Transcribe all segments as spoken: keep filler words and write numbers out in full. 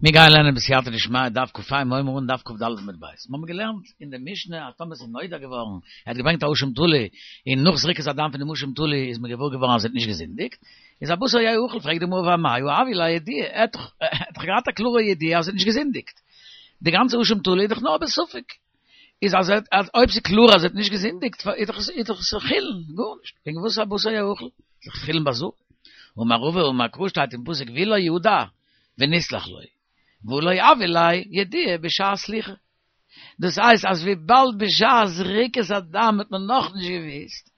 מיר גייען לערנען בסייעתא דשמיא דף ק"ה מיר הייבן אן דף כ"ד עמוד ב'. מיר האבן געלערנט אין די משנה אז טאמער ס'איז נודע געווארן, ער האט געברענגט א אשם תלוי, און נאך זריקת הדם פון דעם אשם תלוי איז מען געוואר געווארן אז ער האט נישט געזינדיגט, איז הבשר יאכל, פרעגט די גמרא ואמאי הא הויא ליה ידיעה, ער האט דאך געהאט א קלארע ידיעה אז ער האט נישט געזינדיגט, די גאנצע אשם תלוי איז דאך נאר בספק, איז אז אז אויב ס'איז קלאר אז ער האט נישט געזינדיגט איז דאך איז דאך עס חולין, גארנישט, וועגן וואס הבשר יאכל? איז דאך חולין בעזרה. אמר רבא אמר קרא שטייט אין פסוק והוא לא ידע ונסלח לו, והא לא הויא ליה ידיעה בשעת סליחה. דאס הייסט אז וויבאלד בשעת זריקת הדם האט מען נאכנישט געוואוסט,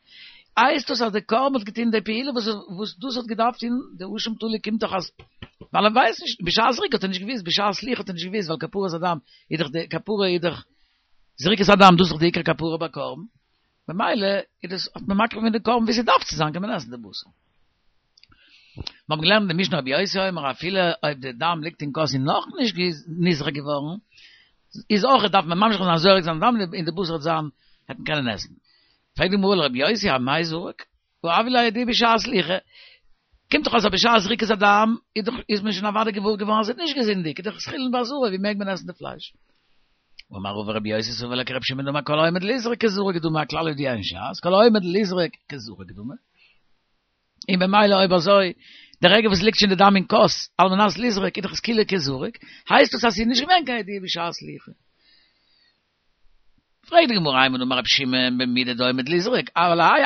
הייסט דאס אז די קרבן האט געטון די פעולה וואס וואס דאס האט געדארפט טון, די אשם תלוי קומט דאך אז ווייל ער ווייסט נישט, בשעת זריקה האט ער נישט געוואוסט, בשעת סליחה האט ער נישט געוואוסט ווייל כפרת הדם איז דאך די כפרה איז דאך זריקת הדם דאס איז דאך די עיקר כפרה ביי קרבן, ממילא איז דאס האט מען מקריב געווען די קרבן ווי ס'דארף צו זיין קען מען עסן די בשר. מיר האבן געלערנט אין די משנה רבי יוסי אומר אפילו אויב די דם ליגט אין כוס און נאכנישט נזרק געווארן, איז אויך דארף מען ממשיך זיין זורק זיין דם און די בשר וועט זיין וועט מען קענען עסן. פרעגט די גמרא ולרבי יוסי אמאי זרק, והא הויא ליה ידיעה בשעת סליחה, קומט דאך אויס אז בשעת זריקת הדם איז דאך איז מען שוין אוודאי געוואר געווארן אז ער האט נישט געזינדיגט, איז דאך עס חולין בעזרה ווי מעג מען עסן די פלייש? אמר רבא רבי יוסי סבר לה כרבי שמעון דאמר כל העומד ליזרק כזרוק דמי א כלל ידוע אין ש"ס כל העומד ליזרק כזרוק דמי. און במילא אויב אזוי, די רגע וואס ליגט שוין די דם אין כוס, על מנת לזרוק, איז דאך עס כאילו כזרוק, הייסט דאס אז ס'איז נישט געווען קיין ידיעה בשעת סליחה. פרעגט די גמרא אימר דאמר רבי שמעון במידה דעומד לזרוק, אבל האי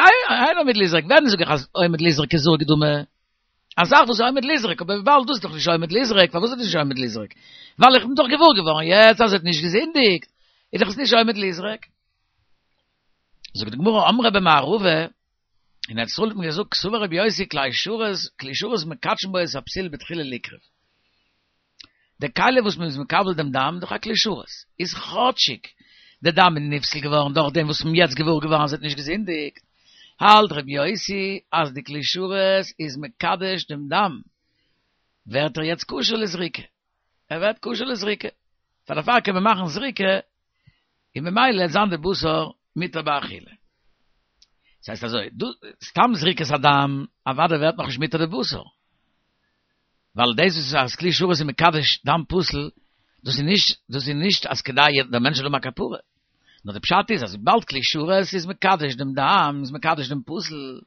אינו עומד לזרוק, ווען זאג איך אז עומד לזרוק כזרוק דמי? א זאך וואס איז עומד לזרוק, אבער וויבאלד דאס איז דאך נישט עומד לזרוק, פארוואס איז דאס נישט עומד לזרוק? ווייל איך בין דאך געוואר געווארן יעצט אז ער האט נישט געזינדיגט, איז דאך עס נישט עומד לזרוק. זאגט די גמרא אמרי במערבא, אין ארץ ישראל האט מען געזאגט קסבר רבי יוסי כלי שרת, כלי שרת מקדשין בו את הפסול בתחילה ליקרב. די כלי וואס מען איז מקבל דעם דם איז דאך א כלי שרת, איז כאטשיג די דם איז נפסל געווארן דורך דעם וואס מען יעצט געוואר געווארן אז ער האט נישט געזינדיגט, האלט רבי יוסי אז די כלי שרת איז מקדש דעם דם, ווערט ער יעצט כשר לזריקה, ער ווערט כשר לזריקה, פאר דערפאר קען מען מאכן זריקה און ממילא וועט זיין די בשר מותר באכילה. דאס הייסט אזוי, דא סתם זריקת הדם, אוודאי ווערט נאכנישט מותר די בשר. ווייל דאס וואס אז כלי שרת איז מקדש דם פסול, דאס איז נישט, דאס איז נישט אז כדי דער מענטש זאל האבן א כפרה. נאר די פשט איז אז וויבאלד כלי שרת איז מקדש דעם דם, איז מקדש דעם פסול,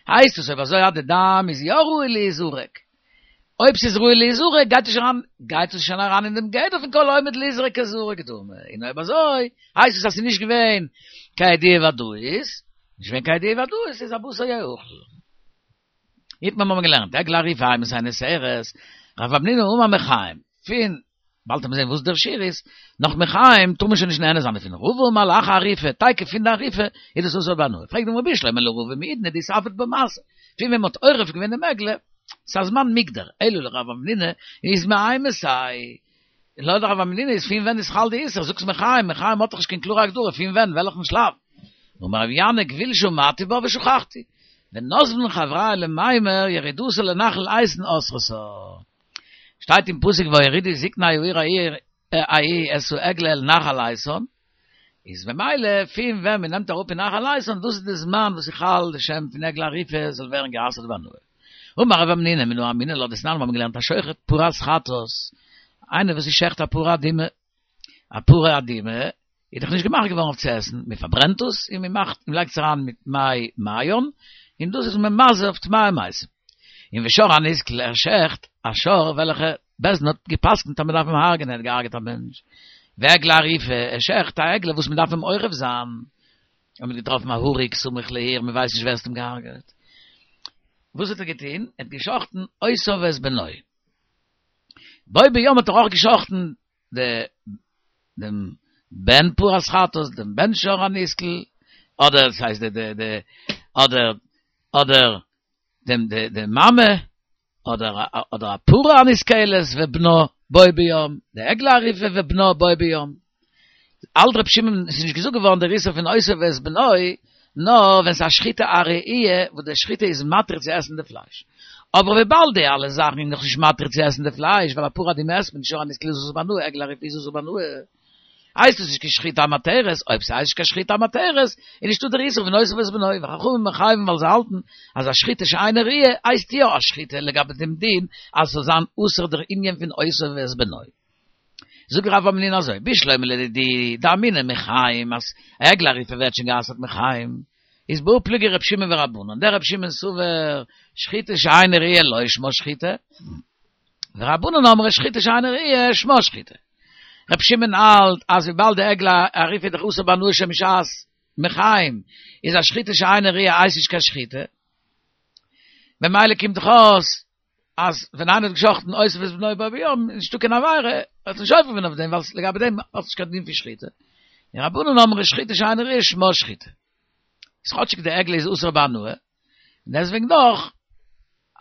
הייסט עס אויב אזוי אז די דם איז יא ראוי להיזרק, אויב ס'איז ראוי להיזרק גייט עס שוין אריין, גייט עס שוין אריין אין דעם גדר פון כל העומד ליזרק כזרוק דמי, און אויב אזוי הייסט עס אז ס'איז נישט געווען קיין ידיעה ודאית, נישט געווען קיין ידיעה ודאית איז הבשר יאכל. איתמר האבן מיר געלערנט, עגלה ערופה אימתי נאסרת, רב המנונא אמר מחיים, פון, באלד וועט מען זען וואס דער שיעור איז, נאך מחיים טאר מען שוין נישט נהנה זיין דערפון, רבא אמר לאחר עריפה, תיכף פון די עריפה איז דאס אסור בהנאה, פרעגט די גמרא בשלמא לרבא מעידנא דאיתעביד בה מעשה, פון ווען מען האט עורף געווען דעם עגלה, ס'איז א זמן מוגדר, אלא לרב המנונא איז מאימתי, לויט רב המנונא איז פון ווען איז חל די איסור, זאגסט מחיים, מחיים האט דאך נישט קיין קלארע הגדרה פון ווען, וועלכן שלב. אמר רב ינאי גוויל שמעתי בה ושכחתי, ונזבן חברייא למימר ירידתה לנחל איתן אסרתה. שטייט אין פסוק והורידו זקני העיר ההיא את העגלה אל נחל איתן, איז ממילא פון ווען מען נעמט אראפ אין נחל איתן דאס איז די זמן וואס איז חל די שם פון עגלה ערופה זאל ווערן גע'אסר'ט בהנאה. אמר רב המנונא מנא אמינא לה דתנן מיר האבן געלערנט השוחט פרת חטאת, איינער וואס איז שעכט א פרה אדומה, א פרה אדומה איז דאך נישט געמאכט געווארן אויף צו עסן, מען פארברענט עס און מען מאכט מען לייגט עס אריין מיט מי מעיין, און דאס איז ממזה אויף טמאי מתים. און ושור הנסקל ער שעכט א שור וועלכע בית דין האט גע'פסק'נט אז מען דארף אים הרג'נען, ער האט געהארגעט א מענטש. ועגלה ערופה, ער שעכט א עגלה וואס מען דארף אים עורף זיין, און מען האט געטראפן א הרוג סמוך לעיר, מען ווייסט נישט ווער עס האט אים געהארגעט. וואס האט ער געטון? ער האט געשחט'ן אותו ואת בנו. בו ביום האט ער אויך געשחט'ן די דעם בן פרת חטאת, דעם בן שור הנסקל, אדער עס הייסט די די די אדער אדער דעם די די מאמע, אדער אדער א פרה הנסקלת ובנה בו ביום, די עגלה ערופה ובנה בו ביום. האלט רבי שמעון, עס איז נישט געזאגט געווארן דער איסור פון אותו ואת בנו, נאר ווען ס'איז א שחיטה א ראויה וואס די שחיטה איז מתיר צו עסן די פלייש. אבער וויבאלד די אלע זאכן איז נאכנישט מתיר צו עסן די פלייש, ווייל א פרה אדומה עסט מען נישט שור הנסקל איז אסור בהנאה, עגלה ערופה איז אסור בהנאה, הייסט עס נישט קיין שחיטה המתרת, אויב ס'הייסט נישט קיין שחיטה המתרת, איז נישטא דער איסור פון אותו ואת בנו, וחכמים מחייבים ווייל זיי האלטן אז א שחיטה שאינה ראויה הייסט יא א שחיטה לגבי דעם דין אז ס'זאל זיין אסור דער ענין פון אותו ואת בנו. זאגט רב המנונא אזוי, בשלמא לדידי דאמינא מחיים, אז עגלה ערופה ווערט שוין גע'אסר'ט מחיים, איז בהא פליגי רב שמעון ורבנן, דרב שמעון סבר שחיטה שאינה ראויה לא שמה שחיטה, ורבנן אמרי שחיטה שאינה ראויה שמה שחיטה. רב שמעון האלט אז וויבאלד די עגלה ערופה איז דאך אסור בהנאה שוין משעת מחיים, איז א שחיטה שאינה ראויה הייסט נישט קיין שחיטה, במילא קומט דאך אויס אז ווען איינער האט געשחטן אותו ואת בנו בו ביום, איז נישטא קיין עבירה, האט נישט עובר געווען אויף דעם, ווייל לגבי דעם האט נישט קיין דין פון שחיטה. און רבנן אמרי שחיטה שאינה ראויה שמה שחיטה. איז כאטשיג די עגלה איז אסור בהנאה, און דעסוועגן דאך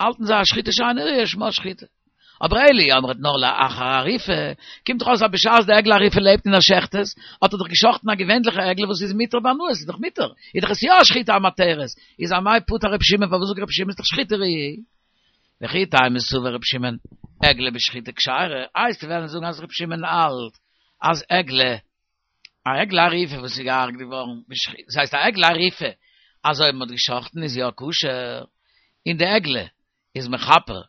האלטן זיי אז שחיטה שאינה ראויה שמה שחיטה. אבער אלא אי אמרת נאר לאחר עריפה, קומט דאך אויס אז בשעת די עגלה ערופה לעבט און ער שעכט עס, האט ער דאך געשאכטן א געווענליכע עגלה וואס איז מותר בהנאה, עס איז דאך מותר, איז דאך עס יא א שחיטה המתרת, איז אמאי פטר רבי שמעון, פארוואס זאגט רבי שמעון איז דאך שחיטה ראויה? וכי תימא סבר רבי שמעון עגלה בשחיטה כשרה, הייסט וועלן זאגן אז רבי שמעון האלט אז עגלה, א עגלה ערופה וואס איז געהארגט געווארן בשחיטה, דאס הייסט א עגלה ערופה אז אויב מען האט געשאכטן איז יא כשר, און די עגלה איז מכפר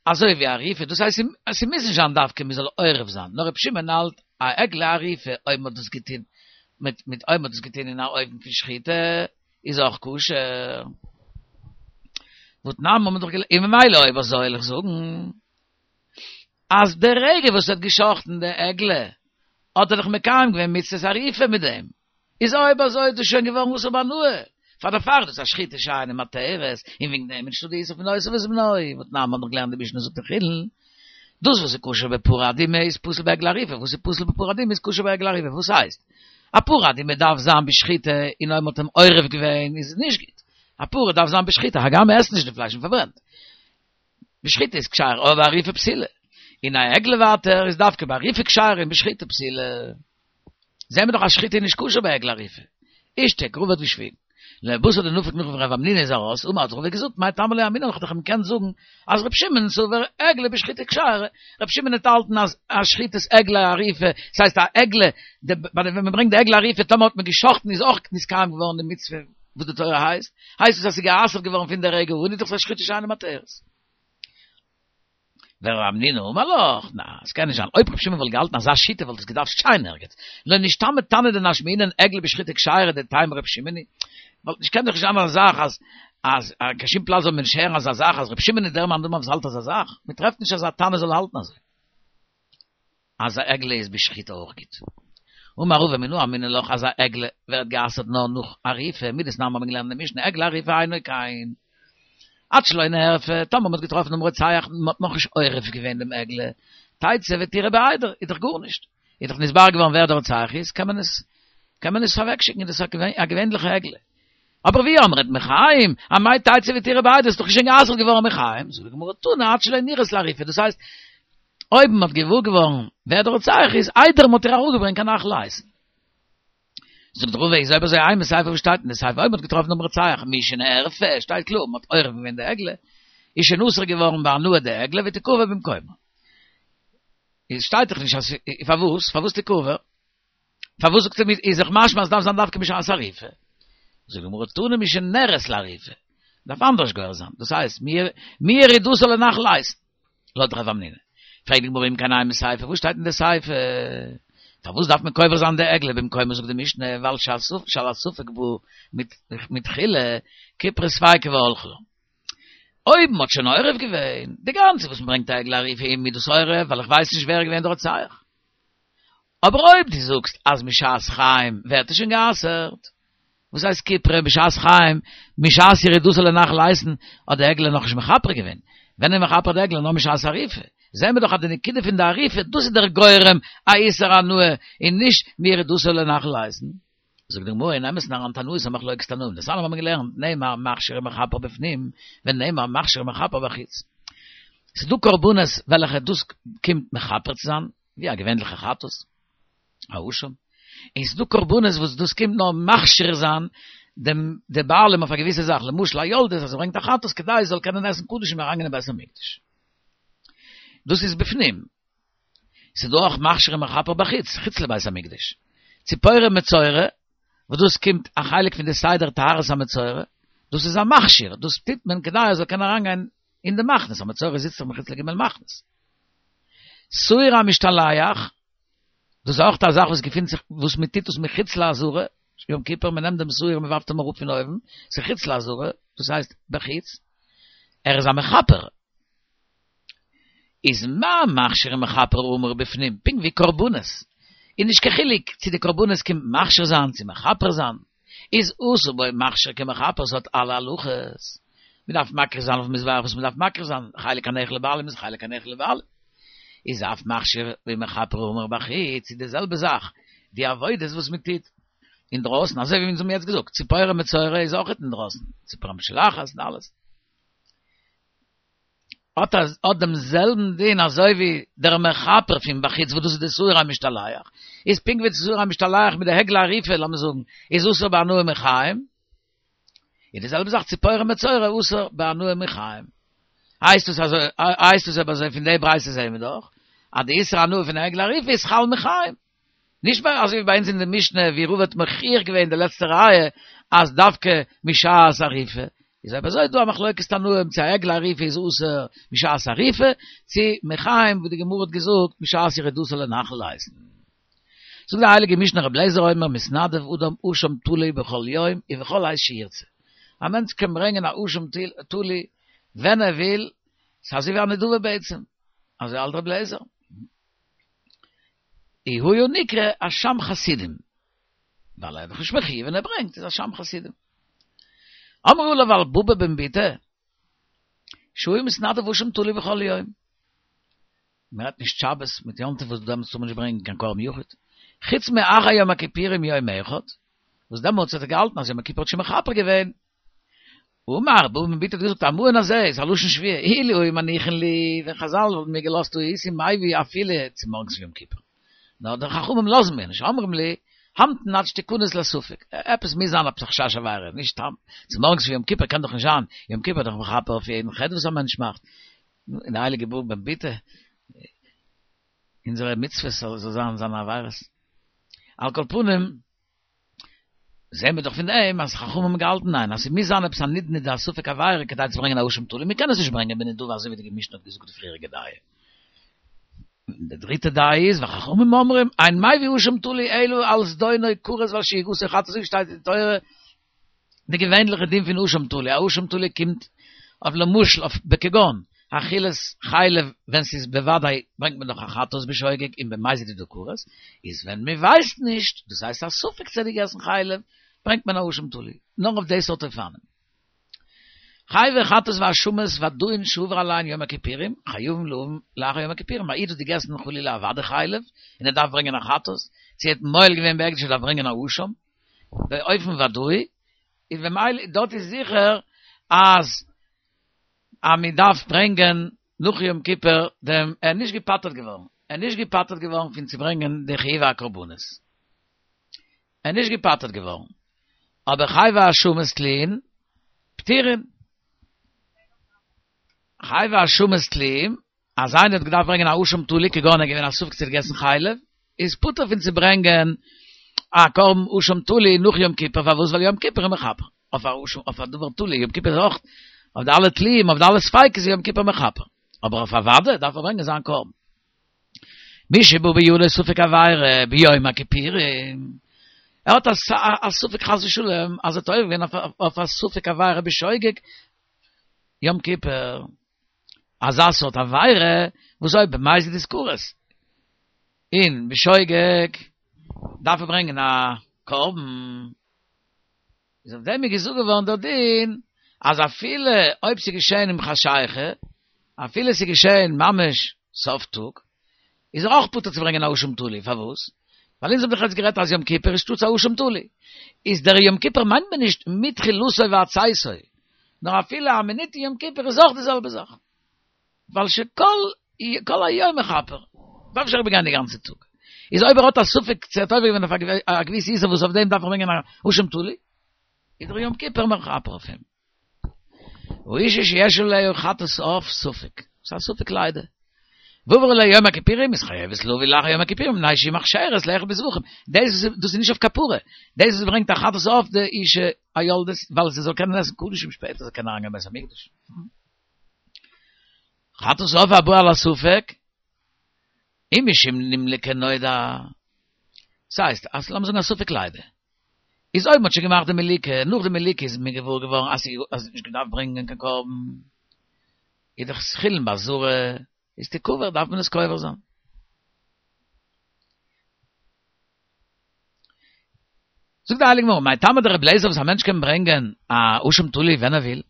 אזוי ווי עריפה, דאס הייסט אז ס'מוז נישט זיין דווקא מ'זאל עורף זיין, נאר רבי שמעון האלט א עגלה ערופה אויב מ'האט דאס געטון מיט מיט אויב מ'האט דאס געטון אין א אופן פון שחיטה איז אויך כשר. והתנן האט מען דאך געלערנט, און ממילא אויב אזוי וועל איך זאגן אז די רגע וואס ער האט געשחט'ן די עגלה האט ער דאך מקיים געווען מצוות עריפה מיט דעם, איז אויב אזוי איז דאס שוין געווארן אסור בהנאה, פאר דערפאר איז דאס א שחיטה שאינה מתרת, און וועגן דעם איז נישטא די איסור פון אותו ואת בנו, והתנן מ'האט דאך געלערנט די משנה זאגט אין חולין, דאס וואס איז כשר בפרה אדומה איז פסול בעגלה ערופה, וואס איז פסול בפרה אדומה איז כשר בעגלה ערופה, וואס הייסט? א פרה אדומה דארף זיין בשחיטה און אויב מ'האט אים עורף געווען איז עס נישט גוט, א פרה דארף זיין בשחיטה הגם מ'עסט נישט די פלייש מ'פארברענט, בשחיטה איז כשר אבער בעריפה פסולה, און א עגלה ווייטער איז דווקא בעריפה כשר און בשחיטה פסולה. זעהן מיר דאך אז שחיטה איז נישט כשר ביי עגלה ערופה. אישתיק, רבא האט געשוויגן. לבתר דנפק נאך ווען רב המנונא איז ארויס, אמר האט רבא געזאגט, מאי טעמא לא אמינא לך, איך האב געקענט זאגן אז ר' שמעון סבר עגלה בשחיטה כשרה, ר' שמעון האט געהאלטן אז א שחיטת עגלה ערופה, ס'הייסט א עגלה, ווען מ'ברענגט די עגלה ערופה טאמער האט מען געשחט'ן איז אויך נתקיים געווארן די מצוה וואס די תורה הייסט, הייסט עס אז ס'איז גע'אסר'ט געווארן פון די רגע אן, איז דאך א שחיטה שאינה מתרת. ורב המנונא אמר לך, נא, עס קען נישט זיין, אויב רבי שמעון וואלט געהאלטן אזא שיטה וואלט עס געדארפט שטיין ערגעץ, לא נשתמיט תנא דנשמעינן עגלה בשחיטה כשרה דתימא רבי שמעון היא, וואלט נישט קען דאך נישט זיין אזא זאך אז אז קיין שום פלאץ זאל מען נישט הערן אזא זאך אז רבי שמעון איז דער מאן דאמר וואס האלט אזא זאך, מען טרעפט נישט אז א תנא זאל האלטן אזוי. אז א עגלה איז בשחיטה אויך גוט. אמר רבא מנא אמינא לך אז א עגלה ווערט גע'אסר'ט נאר נאך עריפה, מדתנן האבן מיר געלערנט אין די משנה עגלה ערופה אינו כן. עד שלא נערפה, טאמער מ'האט געטראפן דעם רוצח און מ'האט נאכנישט עורף געווען דעם עגלה, תצא ותרעה בעדר, איז דאך גארנישט, איז דאך נתברר געווארן ווער דער רוצח איז, קען מען עס קען מען עס אוועקשיקן, איז דאס א געווענליכע עגלה. אבער ואי אמרת מחיים, אמאי תצא ותרעה בעדר, איז דאך שוין גע'אסר'ט געווארן מחיים, זאגט די גמרא תנא עד שלא נראית לעריפה, דאס הייסט, אויב מ'האט געוואר געווארן ווער דער רוצח איז, איידער מ'האט איר אראפגעברענגט קיין נחל איתן. זאגט רבא איז אויב אזוי אימא סיפא וואס שטייט אין די סיפא אויב מ'האט געטראפן דעם רוצח משנערפה שטייט קלאר מ'האט עורף געווען די עגלה איז שוין אסור געווארן בהנאה די עגלה ותקבר במקומה איז שטייט דאך נישט אז פארוואס פארוואס תקבר פארוואס זאגט ער מיר איז דאך משמע אז דארף זיין דווקא בשעת עריפה זאגט די גמרא תנא משנראית לעריפה דארף אנדערש גורס זיין דאס הייסט מירידתה לנחל איתן לויט רב המנונא. פרעגט די גמרא אם כן אימא סיפא, וואס שטייט אין די סיפא? פארוואס דארף מען קובר זיין די עגלה במקומה זאגט די משנה, ווייל שעל הספק בא מתחילה כיפרה ספיקא והלכה לה. אויב מען האט שוין עורף געווען, די גאנצע וואס מען ברענגט א עגלה ערופה איז מידת עורף, ווייל איך ווייס נישט ווער איז געווען די רוצח. אבער אויב דו זאגסט אז משעת חיים ווערט עס שוין גע'אסר'ט, וואס הייסט כיפרה בשעת חיים, משעת ירידתה לנחל איתן האט די עגלה נאכנישט מכפר געווען, ווען איז מכפר די עגלה נאר משעת עריפה, זעהן מיר דאך אז די נקודה פון די עריפה דאס איז דער גורם א איסור הנאה און נישט מירידתה לנחל איתן. זאגט די גמרא אין אמת'ן אריין תנאית א מחלוקת תנאים, דתנן האבן מיר געלערנט נאמר מכשיר ומכפר בפנים ונאמר מכשיר ומכפר בחוץ. ס'איז דא קרבנות וועלכע דאס קומט מכפר צו זיין, ווי א געווענליכע חטאת, א אשם, און ס'איז דא קרבנות וואס דאס קומט נאר מכשיר זיין דעם די בעלים אויף א געוויסע זאך, למשל א יולדת אז זי ברענגט א חטאת כדי זי זאל קענען עסן קדשים און אריינגיין אין בית המקדש. דאס איז בפנים. ס'איז דא אויך מכשיר ומכפר בחוץ, חוץ לבית המקדש. ציפורי מצורע, וואס דאס קומט א חלק פון די סדר טהרת המצורע, דאס איז א מכשיר, דאס טוט מען כדי ער זאל קענען אריינגיין אין די מחנות, א מצורע זיצט דאך מחוץ לג' מחנות. שעיר המשתלח, דאס איז אויך א זאך וואס געפינט זיך, וואס מען טוט דאס מחוץ לעזרה, יום כיפור, מען נעמט דעם שעיר, מען ווארפט אים אראפ פון אויבן, ס'איז חוץ לעזרה, דאס הייסט בחוץ, ער איז א מכפר. איז מה מכשיר ומכפר האמור בפנים, פונקט ווי קרבנות, איז נישט קיין חילוק צו די קרבנות קומט מכשיר זיין צו מכפר זיין, איז עשה בו מכשיר כמכפר, ס'האט אלע הלכות, מען דארף מקריב זיין אויפן מזבח וואס מען דארף מקריב זיין, חלק הנאכל לבעלים איז חלק הנאכל לבעלים, איז אף מכשיר ומכפר האמור בחוץ, איז די זעלבע זאך, די עבודות וואס מען טוט אינדרויסן, אזוי ווי אונז האבן יעצט געזאגט, ציפורי מצורע איז אויך אינדרויסן, ציפור המשולחת און אלעס. האט האט דעם זעלבן דין אזוי ווי דער מכפר פון בחוץ וואס דאס איז די שעיר המשתלח, איז פונקט ווי די שעיר המשתלח מיט די עגלה ערופה לאמיר זאגן איז אסור בהנאה מחיים, איז די זעלבע זאך ציפורי מצורע אסור בהנאה מחיים. הייסט עס אזוי, הייסט עס אבער אזוי פון די ברייתא זעהן מיר דאך אז די איסור הנאה פון עגלה ערופה איז חל מחיים. נישט ביי אזוי ווי ביי אונז אין די משנה ווי רבא האט מוכיח געווען די לעצטע ראיה אז דווקא משעת אריפה, איז אויב אזוי איז דא א מחלוקת תנאים צו א עגלה ערופה איז אסור משעת אריפה צו מחיים ווי די גמרא האט געזאגט משעת ירידתו לנחל לייזן. זאגט די הייליגע משנה רבי אליעזר אומר מתנדב אדם אשם תלוי בכל יום ובכל עת שירצה, א מענטש קען ברענגען א אשם תלוי ווען ער וויל, ס'איז אזוי ווי א נדבה בעצם, אזוי האלט רבי אליעזר. הוא נקרא אשם חסידים, ווייל ער איז דאך נישט מחויב ווען ער ברענגט איז אשם חסידים. אמרו עליו על בבא בן בוטא, שהיה מתנדב אשם תלוי בכל יום. מען רעדט נישט שבת מיט יום טוב וואס דעמאלטס טאר מען נישט ברענגען קיין קרבן יחיד, חוץ מאחר יום הכיפורים יום אחד, וואס דעמאלטס האט ער געהאלטן אז יום הכיפור האט שוין מכפר געווען. אמר, בבא בן בוטא האט געזאגט המעון הזה איז א לשון שבועה, אילו היו מניחין לי, ווען חזל וואלטן מיר געלאזט הייתי מביא אפילו צומארגנס יום כיפור. נאר די חכמים לאזן מיר נישט, אומרים לי, המתן עד שתכנס לספק, עפעס מוז זיין עפעס א חשש עבירה, נישט סתם, צומארגנס יום כיפור קען דאך נישט זיין, יום כיפור איז דאך מכפר אויף יעדן חטא וואס א מענטש מאכט, און די הייליגע בבא בן בוטא, אונזערע מצוות זאל זיין זיינע עבירות. על כל פנים, זעהן מיר דאך פון דעם אז חכמים האבן געהאלטן ניין, אז ס'מוז זיין עפעס א נדנוד א ספק עבירה כדי צו ברענגען א אשם תלוי, מ'קען עס נישט ברענגען בנדבה אזוי ווי די משנה האט געזאגט די פריעריגע דעה. די דריטע דעה איז וחכמים אומרים אין מביא אשם תלוי אלא על זדונו כרת ועל שגגתו חטאת אזוי ווי שטייט אין תורה די געווענליכע דין פון אשם תלוי, א אשם תלוי קומט אויף למשל אויף בכגון אכילת חלב ווען ס'איז בוודאי ברענגט מען דאך א חטאת בשוגג און במזיד איז דא כרת, איז ווען מ'ווייסט נישט, דאס הייסט א ספק צו ער האט געגעסן חלב, ברענגט מען א אשם תלוי, נאר אויף די סארט אופנים. חייבי חטאת ואשמות ודאין שעבר עליהן יום הכיפורים, חייבים להביא לאחר יום הכיפורים, א איד האט געגעסן חלילה א ודאי חלב, און ער דארף ברענגען א חטאת, צו ער האט מועל געווען בהקדש ער דארף ברענגען א אשם, באופן ודאי, איז במילא דארט איז זיכער אז אז מען דארף ברענגען נאך יום כיפור דעם, ער איז נישט געפטר'ט געווארן, ער איז נישט געפטר'ט געווארן פון צו ברענגען די חיוב הקרבנות, ער איז נישט געפטר'ט געווארן, אבער חייבי אשמות תלויים פטורין, חייבי אשמות תלויים, אז איינער האט געדארפט ברענגען א אשם תלוי כגון ער איז געווען א ספק צו ער האט געגעסן חלב, איז פטור פון צו ברענגען א קרבן אשם תלוי נאך יום כיפור, פארוואס? ווייל יום כיפור איז מכפר אויף א אשם אויף א דבר תלוי, יום כיפור איז אויך אויף די אלע תלויים אויף די אלע ספיקות איז יום כיפור מכפר, אבער אויף א ודאי דארף ער ברענגען זיין קרבן. מי שבא בעלו ספק עבירה ביום הכיפורים, ער האט א ספק חס ושלום אז ער האט עובר געווען אויף א ספק עבירה בשוגג יום כיפור, אזא סארט עבירה וואס אויב במזיד איז כרת און בשוגג דארף ער ברענגען א קרבן, איז אויף דעם איז געזאגט געווארן דער דין אז אפילו אויב ס'איז געשען עם חשיכה, אפילו ס'איז געשען ממש סוף טאג, איז ער אויך פטור צו ברענגען א אשם תלוי, פארוואס? ווייל אונז האבן דאך יעצט גערעדט אז יום כיפור איז שטאטס א אשם תלוי, איז דער יום כיפור מיינט מען נישט מתחילתו ועד צאתו, נאר אפילו א מינוט אין יום כיפור איז אויך די זעלבע זאך, ווייל שכל כל היום מכפר, דארף נישט אריבערגיין די גאנצע טאג, איז אויב ער האט א ספק צו ער האט עובר געווען אויף א געוויסע איסור וואס אויף דעם דארף ער ברענגען א אשם תלוי, איז דער יום כיפור מכפר אויף אים. ואשה שיש עליה חטאת עוף ספק, ס'איז א ספק לידה. ועבר עליה יום הכיפורים איז חייבת להביא לאחר יום הכיפורים מפני שהיא מוכשרת לאכול בזבחים. דאס דאס איז נישט אויף כפרה. דאס וואס ברענגט א חטאת עוף די אישה היולדת ווייל זי זאל קענען עסן קדשים שפעטער זאל קענען אריינגיין בית המקדש. חטאת עוף הבא על הספק, אם משום נמלקה נודע. ס'הייסט, אז לאמיר זאגן א ספק לידה. איז אויב מ'האט שוין געמאכט די מליקה, נאך די מליקה איז מען געוואר געווארן אז זי האט נישט געדארפט ברענגען קיין קרבן, איז דאך חולין בעזרה, איז תקבר, דארף מען עס קובר זיין. זאגט די הייליגע גמרא, מאי טעמא דרבי אליעזר וואס א מענטש קען ברענגען א אשם תלוי ווען ער וויל,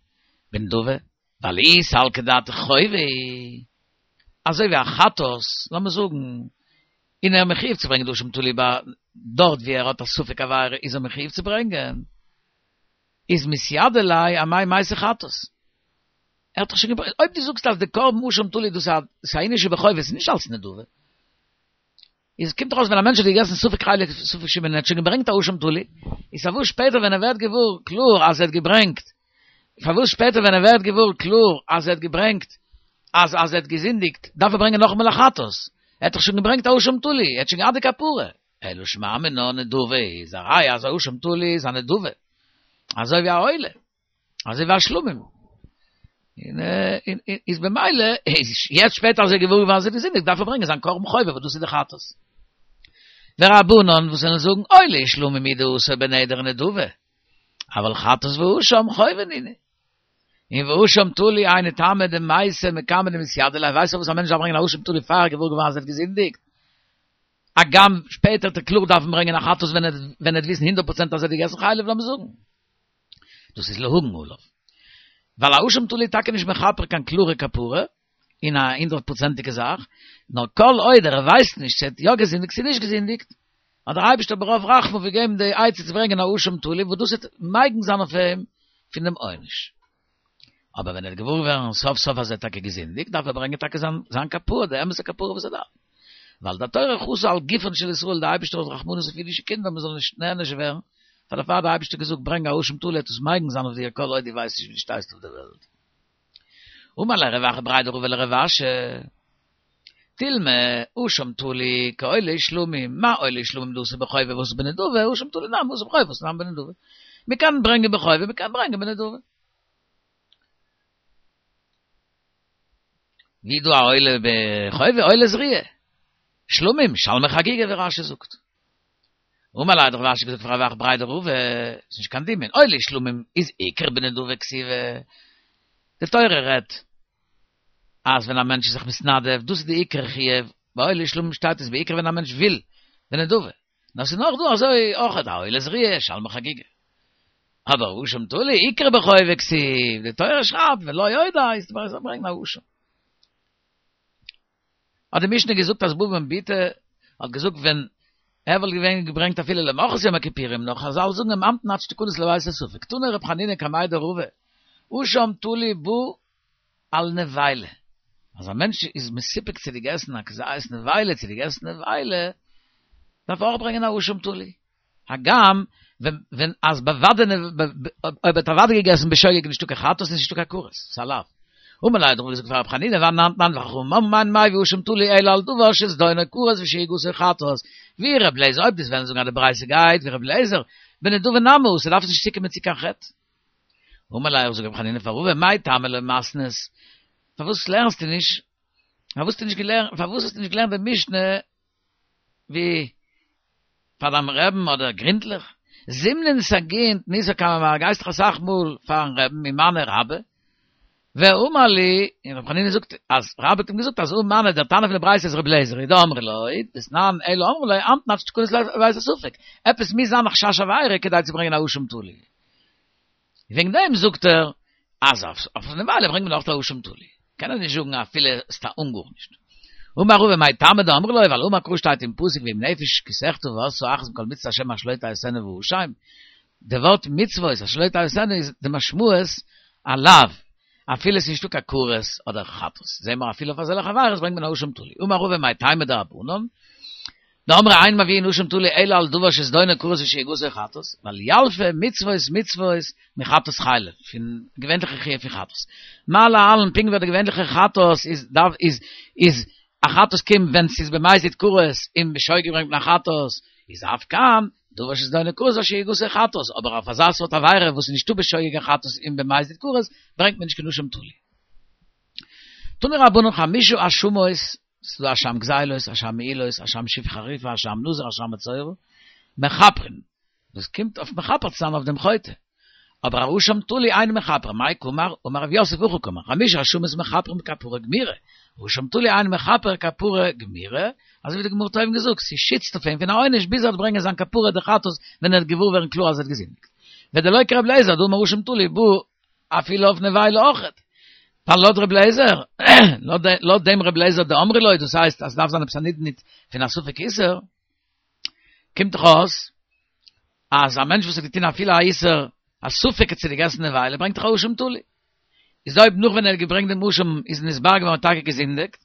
בנדבה, ווייל אי סלקא דעתך חובה, אזוי ווי א חטאת, לאמיר זאגן, און ער מחויב צו ברענגען די אשם תלוי ביי דארט ווי ער האט א ספק עבירה איז ער מחויב צו ברענגען, איז מתיידא ליה אמאי מייתי חטאת. ער האט דאך שוין געברענגט, אויב דו זאגסט אז די קרבן אשם תלוי דאס איז א ענין שבחובה, עס איז נישט אלס נדבה. איז קומט דאך אויס ווען א מענטש האט געגעסן ספק חלב ספק שומן און ער האט שוין געברענגט א אשם תלוי, איז פארוואס שפעטער ווען ער ווערט געוואר קלאר אז ער האט געברענגט, פארוואס שפעטער ווען ער ווערט געוואר קלאר אז ער האט געברענגט אז אז ער האט געזינדיגט דארף ער ברענגען נאכאמאל א חטאת, ער האט דאך שוין געברענגט א אשם תלוי, ער האט שוין געהאט די כפרה. אלא שמע מינה נדבה איז א ראיה אז א אשם תלוי איז א נדבה, אזוי ווי א עולה. אזוי ווי א שלמים. און איז במילא, איז יעצט שפעטער אז ער איז געוואר געווארן אז ער האט געזינדיגט, דארף ער ברענגען זיין קרבן חובה, וואס דאס איז די חטאת. ורבנן וואס וועלן זאגן, עולה ושלמים הוא דאתו בנדר ונדבה, אבל חטאת ואשם חובה נינהו. און ואשם תלוי היינו טעמא דמייתי מקמי דמתיידא ליה, ווייסט פארוואס א מענטש דארף ברענגען א אשם תלוי פאר ער איז געוואר געווארן אז ער האט געזינדיגט? הגם שפעטער וועט ער קלאר דארפן ברענגען א חטאת ווען ער וועט וויסן הונדערט פראצענט אז ער האט געגעסן חלב לאמיר זאגן. דאס איז להגן עליו. ווייל א אשם תלוי איז טאקע נישט מכפר קיין קלארע כפרה, און א הונדערט פראצענטיגע זאך, נאר כל עוד ער ווייסט נישט צו ער האט יא געזינדיגט צו נישט געזינדיגט, האט דער אייבערשטער ברוב רחמיו געגעבן די עצה צו ברענגען א אשם תלוי וואס דאס וועט מגין זיין אויף אים פון דעם עונש. אבער ווען ער וועט געוואר ווערן סוף סוף אז ער האט טאקע געזינדיגט, דארף ער ברענגען טאקע זיין זיין כפרה, די אמת'ע כפרה וואס ער דארף. ווייל די תורה חסה על גופן של ישראל, די אייבערשטער האט רחמנות אויף אידישע קינדער מען זאל נישט נענש ווערן, פאר דערפאר האט די אייבערשטער געזאגט ברענג א אשם תלוי וועט עס מגין זיין אויף דיר כל עוד דו ווייסט נישט ווי דו שטייסט אויף דער וועלט. אמר ליה רב אחא בריה דרבא לרב אשי, תילמא אשם תלוי כעולה ושלמים, מה עולה ושלמים דאתי בחובה ואתי בנדבה, אשם תלוי נמי אתי בחובה ואתי נמי בנדבה. מען קען ברענגען בחובה מען קען ברענגען בנדבה. ווי דא א עולה בחובה עולה זריעה. שלמים, שלמי חגיגה ווי רשי זאגט. אמר ליה האט רב אשי געזאגט פאר רב אחא בריה דרבא, ס'איז נישט קיין דמיון, עולה ושלמים איז עיקר בנדבה כתיבי. די תורה רעדט אז ווען א מענטש איז זיך מתנדב, דאס איז די עיקר חיוב, ביי עולה ושלמים שטייט עס בעיקר ווען א מענטש וויל, בנדבה. נאר ס'איז נאך דא אזוי אויך א עולה זריעה, שלמי חגיגה. אבער אשם תלוי עיקר בחובה כתיב, די תורה שרייבט ולא עוד איז די ברענגען א אשם. האט די משנה געזאגט אז בבא בן בוטא האט געזאגט ווען ער וואלט געווען געברענגט אפילו למחרת יום הכיפורים נאר חזל זאגן אים המתן עד שתכנס לבית הספק תני רב חנינא קמיה דרבא אשם תלוי בא על נבילה אז א מענטש איז מסופק צו געגעסן א כזית נבילה צו געגעסן נבילה דארף ער אויך ברענגען א אשם תלוי הגם ווען ווען אז בוודאי אויב האט ער אוודאי געגעסן בשוגג נישטא קיין חטאת איז נישטא קיין כרת, ס'איז א לאו. אמר ליה האט רבא געזאגט פאר רב חנינא ואנן תנן וחכמים אומרים אין מביא אשם תלוי אלא על דבר שזדונו כרת ושגגתו חטאת, ווי ר' לעזער אויב דו'סט וועלן זאגן אז די ברייתא גייט ווי ר' לעזער, בנדבה נמי ס'דארף נישט צוקומען צו קיין חטא. אמר ליה זאגט רב חנינא פאר רבא מאי טעמא לא מתנית פארוואס לערנסטו נישט פארוואס האסטו נישט געלערנט פארוואס האסטו נישט געלערנט די משנה ווי פאר דיין רעבן אדער גרינטליך, זימנין סגי תניתא קמי מר, גייסט דאך אסאך מאל פארן רעבן ומנו רבה, ואמר לי, און רבי חנינא זאגט אז רבה האט אים געזאגט אז הא מני דער תנא פון די ברייתא איז רבי אליעזר היא דאמרי לא, דתנן אלא אמרו לו המתן עד שתכנס לבית הספק, עפעס מוז זיין א חשש עבירה כדי צו ברענגען א אשם תלוי. וועגן דעם זאגט ער אז אויף נבילה ברענגט מען אויך א אשם תלוי, קען ער נישט זאגן אפילו סתם אן גארנישט. אמר רבא מאי טעמא דאמרי לו, ווייל אמר קרא שטייט אין פסוק ואם נפש כי תחטא ועשתה אחת מכל מצוות השם אשר לא תעשינה והאשם, די ווארט מצוות אשר לא תעשינה איז די משמעות א לאו, אפילו עס איז נישטא קיין כרת אדער חטאת, זעהן מיר אפילו אויף אזעלכע עבירות ברענגט מען א אשם תלוי. אמר רבא מאי טעמא דרבנן, דאמרי אין מביאין אשם תלוי אלא על דבר שזדונו כרת ושגגתו חטאת, ווייל ילפא מצוות מצוות מחטאת חלב, פון געווענליכע חיוב פון חטאת. מה להלן פונקט ווי די געווענליכע חטאת איז דארף איז איז א חטאת קומט ווען ס'איז במזיד כרת און בשוגג ברענגט מען א חטאת, איז אף כאן דבר שזדונו כרת ושגגתו חטאת, אבער אויף אזא סארט עבירה וואס איז נישטא בשוגג קיין חטאת און במזיד כרת ברענגט מען נישט קיין אשם תלוי. תנו רבנן חמשה אשמות ס'איז דא אשם גזילות, אשם מעילות, אשם שפחה חריפה, אשם נזיר, אשם מצורע, מכפרין, דאס קומט אויף מכפר צו זיין אויף דעם חוטא. אבער א אשם תלוי אינו מכפר, מאי קאמר, אמר רב יוסף הכי קאמר, חמשה אשמות מכפרים כפרה גמורה, אשם תלוי אינו מכפר כפרה גמורה, אזוי ווי די גמרא האט אויבן געזאגט, ס'שיצט אויף אים פון א עונש ביז ער וועט ברענגען זיין כפרה די חטאת ווען ער וועט געוואר ווערן קלאר אז ער האט געזינדיגט. ודלא כר' אליעזר דאמר אשם תלוי בא אפילו אויף נבילה אויכעט. ווייל לויט ר' אליעזר, לויט דעם ר' אליעזר דאמרי לא, דאס הייסט אז ס'דארף זיין עפעס א נדנוד פון א ספק איסור, קומט דאך אויס אז א מענטש וואס האט געטון אפילו א איסור א ספק צו געגעסן נבילה ברענגט דאך א אשם תלוי. איז אויב נאך ווען ער האט געברענגט דעם אשם איז נתברר געווארן טאקע געזינדיגט,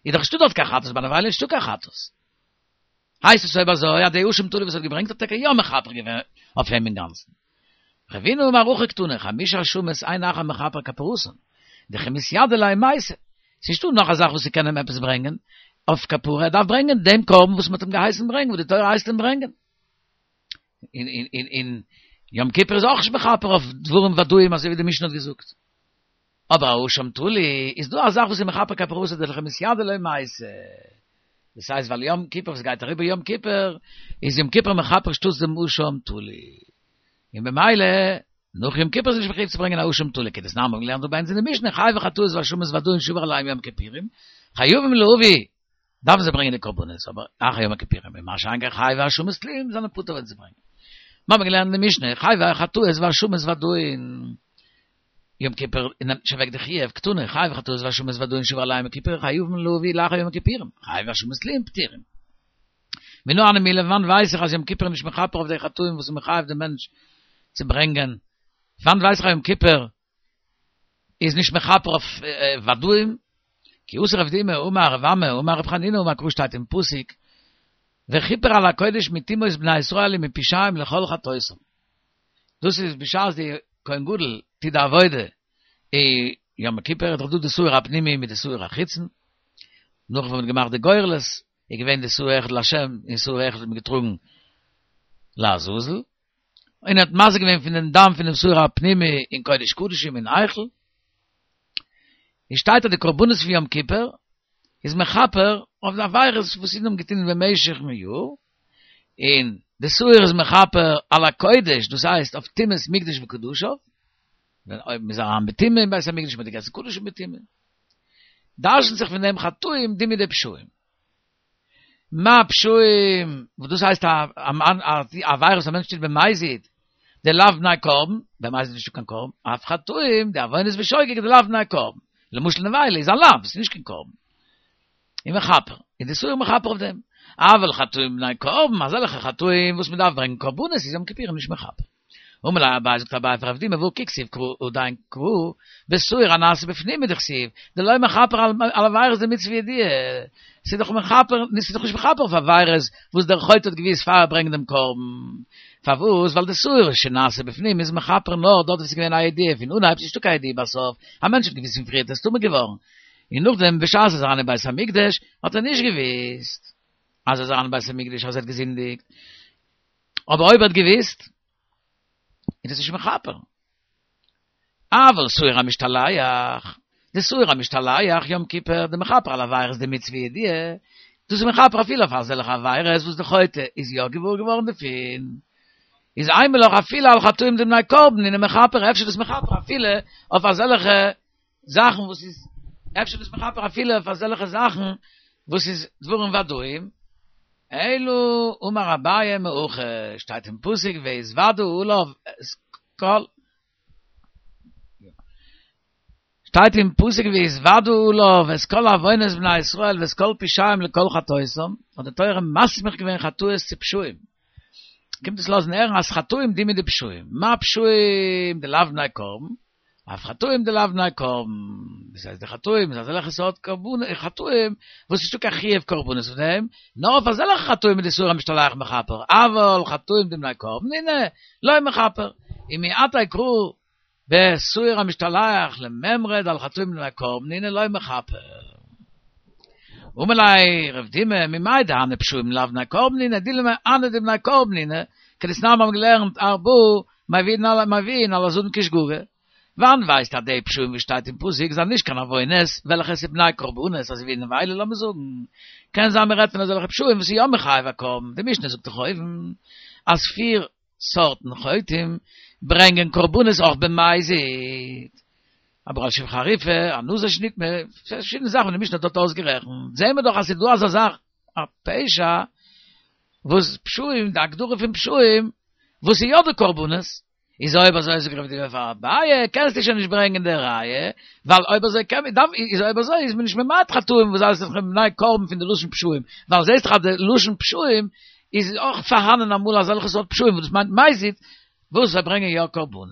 איז דאך נישטא דארט קיין חטאת, ביי נבילה איז נישטא קיין חטאת. הייסט עס אויב אזוי אז די אשם תלוי וואס ער האט געברענגט האט טאקע יא מכפר געווען אויף אים אינגאנצן. רבינא אמר הכי קתני, חמשה אשמות אין אחר מכפר כפרתן, דכי מתיידא ליה מייתי. ס'איז נישטא נאך א זאך וואס ס'קען אים עפעס ברענגען אויף כפרה, ער דארף ברענגען דעם קרבן וואס מ'האט אים געהייסן ברענגען, וואס די תורה הייסט אים ברענגען. און און און און יום כיפור איז אויך נישט מכפר אויף דברים ודאיים אזוי ווי די משנה האט געזאגט. אבער א אשם תלוי איז דא א זאך וואס איז מכפר כפרתו דלכי מתיידא ליה מייתי. דאס הייסט ווייל יום כיפור וואס גייט אריבער יום כיפור איז יום כיפור מכפר שטאטס דעם אשם תלוי. און במילא נאך יום כיפור איז נישט מחויב צו ברענגען א אשם תלוי כדתנן מיר האבן געלערנט דא ביי אונז אין די משנה חייבי חטאות ואשמות ודאים שעבר עליהם יום כיפורים חייבים להביא דארפן זיי ברענגען די קרבנות, אבער אחר יום הכיפורים, מה שאין כן חייבי אשמות תלויים זענען פטור ווען זיי ברענגען. מיר האבן געלערנט אין די משנה, חייבי חטאות ואשמות ודאים, יום כיפור נעמט נישט אוועק די חיוב, קתני, חייבי חטאות ואשמות ודאים שעבר עליהם יום כיפור חייבים להביא לאחר יום הכיפורים, חייבי אשמות תלויים פטורים. מנא הני מילי, וואנט ווייס איך אז יום כיפור איז נישט מכפר אויף די חטאים וואס איז מחייב די מענטש צו ברענגען? וואנט ווייס איך אז יום כיפור איז נישט מכפר אויף ודאים, כי אתא רב דימי אמר רב אמי אמר רב חנינא אמר קרא שטייט אין פסוק וכיפר על הקודש מטומאות בני ישראל ומפשעיהם לכל חטאותם, דאס איז בשעת די כהן גדול טוט די עבודה אין יום כיפור איז דאך דא די שעיר הפנימי מיט די שעיר החיצון, נאך ווען מען האט געמאכט די גורלות איז געווען די שעיר אחד לה' און שעיר אחד האט מען געטראגן לעזאזל. און ער האט מזה געווען פון דעם דם פון דעם שעיר הפנימי אין קודש קדשים אין היכל, און שטייט אז די קרבנות פון יום כיפור איז מכפר אויף די עבירות וואס אידן האבן געטון במשך'ן יאר, און די שעיר איז מכפר על הקודש, דאס הייסט אויף טומאת מקדש וקדשיו, ווען אויב מ'איז אריין בטומאה אין בית המקדש מ'האט געגעסן קדשים בטומאה, דרש'נט זיך פון דעם חטאים דומיא דפשעים. מה פשעים, וואס דאס הייסט א עבירה וואס א מענטש טוט במזיד, דלאו בני קרבן, במזיד איז נישטא קיין קרבן, אף חטאים, די עוונות בשוגג דלאו בני קרבן, למשל נבילה איז א לאו, עס איז נישט קיין קרבן. און מכפר, איז די שעיר מכפר אויף דעם. אבל חטאים בני קרבן, אזעלכע חטאים וואס מען דארף ברענגען קרבנות איז יום כיפורים נישט מכפר. אמר ליה אביי זאגט אביי פאר רב דימי והא כי כתיב קרא עדיין קרא בשעיר הנעשה בפנים הוא דכתיב דלא מכפר על עבירות דמצוה ידיעה ס'איז דאך מכפר ס'איז דאך נישט מכפר אויף עבירות וואס דער חוטא האט געוואוסט פאר ער ברענגט דעם קרבן פארוואס ווייל די שעיר שנעשה בפנים איז מכפר נאר דארט וואו ס'איז געווען א ידיעה פון אנהייב ס'איז נישטא קיין ידיעה בסוף א מענטש האט געוואוסט פון פריערט ער איז טמא געווארן און נאכדעם בשעת ער איז אריין אין בית המקדש האט ער נישט געוואוסט אז ער איז אריין אין בית המקדש אז ער האט געזינדיגט אבער אויב ער האט געוויסט, איז דאס נישט מכפר. אבל שעיר המשתלח, די שעיר המשתלח יום כיפור, דמכפר על עבירות דמצוה ידיעה, דאס איז מכפר אפילו אויף אזעלכע עבירות וואס די חוטא איז יא געוואר געווארן דערפון, איז אימא לך אפילו על חטאים דבני קרבן נינהו מכפר, אפשר איז דאס מכפר אפילו אויף אזעלכע זאכן וואס איז אפשר דאס מכפר אפילו אויף אזעלכע זאכן וואס איז דברים ודאים, אלא אמר אביי מהכא, שטייט אין פסוק והתודו עליו את כל, שטייט אין פסוק והתודו עליו את כל עוונות בני ישראל ואת כל פשעיהם לכל חטאותם, האט די תורה מסמיך געווען חטאות צו פשעים, קומט עס לאזן הערן אז חטאים דומיא דפשעים, מה פשעים דלאו בני קרבן, אף חטאים דלאו בני קרבן, דאס הייסט די חטאים איז אזעלכע סארט קרבנות חטאים וואס נישטא קיין חיוב קרבנות אויף דעם, נאר אויף אזעלכע חטאים איז די שעיר המשתלח מכפר, אבל חטאים דבני קרבן נינהו לא מכפר, ומעתה קרא בשעיר המשתלח למימרא דעל חטאים דבני קרבן נינהו לא מכפר. אמר ליה רב דימי ממאי דהני פשעים לאו בני קרבן נינהו דילמא הני דבני קרבן נינהו, כדתנן מיר האבן געלערנט ארבעה מביאין על מביאין על הזדון כשגגה, וואנען ווייסט אז די פשעים וואס שטייט אין פסוק זענען נישט קיין עוונות, וועלכע איז בני קרבנות, אזוי ווי נבילה לאמיר זאגן. קען זיין מ'רעדט פון אזעלכע פשעים וואס איז יא מחייב א קרבן, די משנה זאגט דאך אויבן אז פיר סארטן חוטאים ברענגען קרבנות אויך במזיד. הבא על שפחה חרופה, א נזיר שנטמא, פארשידענע זאכן וואס די משנה האט דארט אויסגערעכנט, זעהן מיר דאך אז ס'איז דא אזא זאך א פשע וואס פשעים, די הגדרה פון פשעים וואס איז יא דא קרבנות, איז אויב אזוי זאגט רב דימי פאר אביי, קענסטו שוין נישט ברענגען די ראיה, ווייל אויב אזוי קען מען, דארף, איז אויב אזוי איז מען נישט ממעט חטאים וואס הייסט דאך בני קרבן פון די לשון פשעים, ווייל זעהסט דאך אז די לשון פשעים איז אויך פארהאנען אמאל אזעלכע סארט פשעים וואס דאס מיינט מזיד, וואס זיי ברענגען יא קרבנות.